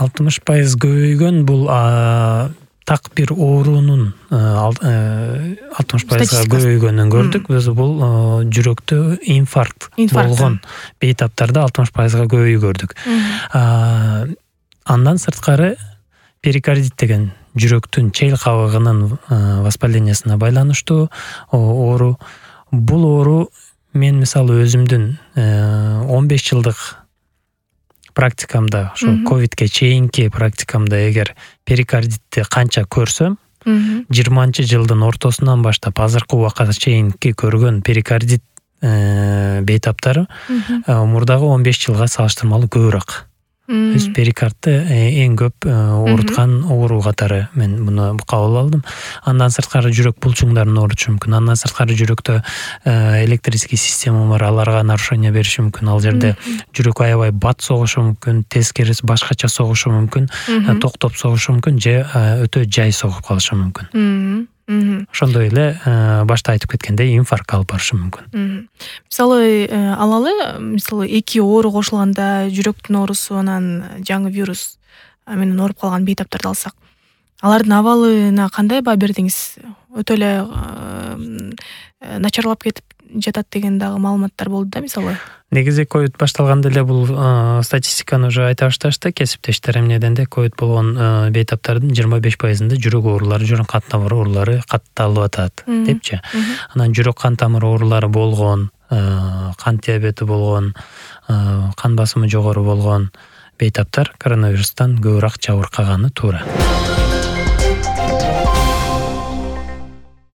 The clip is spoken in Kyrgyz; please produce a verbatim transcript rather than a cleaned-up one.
алтымыш пайыз көбөйгөн бул так бир оорунун алтымыш пайызга көбөйгөнүн көрдүк. Биз бул жүрөктө инфаркт болгон бейтаптарда алтымыш пайызга көбөйүү көрдүк. Андан сырткары перикардит деген жүрөктүн чел кабыгынын воспалениясына байланыштуу оору. Бул оору мен мисалы өзүмдүн он беш жылдык практикамда, ошо ковидке чейинки практикамда эгер перикардитти канча көрсөм, жыйырманчы жылдын ортосунан баштап азыркы убакка чейинки көргөн перикардит бейтаптары мурдагы он беш жылга салыштырмалуу көбүрөөк. Биз перикардты эң көп ооруткан оору катары мен муну кабыл алдым. Андан сырткары жүрөк булчуңдарын оорутушу мүмкүн. Андан сырткары жүрөктө электрический система бар, аларга нарушение бериши мүмкүн. Ал жерде жүрөк аябай бат согушу мүмкүн, тескерisi башкача согушу мүмкүн, токтоп согушу мүмкүн же өтө жай согуп калышы мүмкүн. Ошондой эле башта айтып кеткендей инфаркт алып барышы мүмкүн. Мисалы алалы, мисалы эки оору кошулганда жүрөктүн оорусу анан жаңы вирус менен ооруп калган бейтаптарды алсак, алардын абалына кандай баа бердиңиз? Өтө эле начарлап кетип жатат деген дагы маалыматтар болду да, мисалы. Негизи ковид башталганда эле бул статистиканы уже айта башташты. Кесиптештер эмнеден де ковид болгон бейтаптардын жыйырма беш пайызында жүрөк оорулары, жүрөк кан тамыр оорулары катталып атат депчи. Анан жүрөк кан тамыр оорулары болгон, кант диабети болгон, кан басымы жогору болгон бейтаптар коронавирустан көбүрөөк жабыркаганы туура.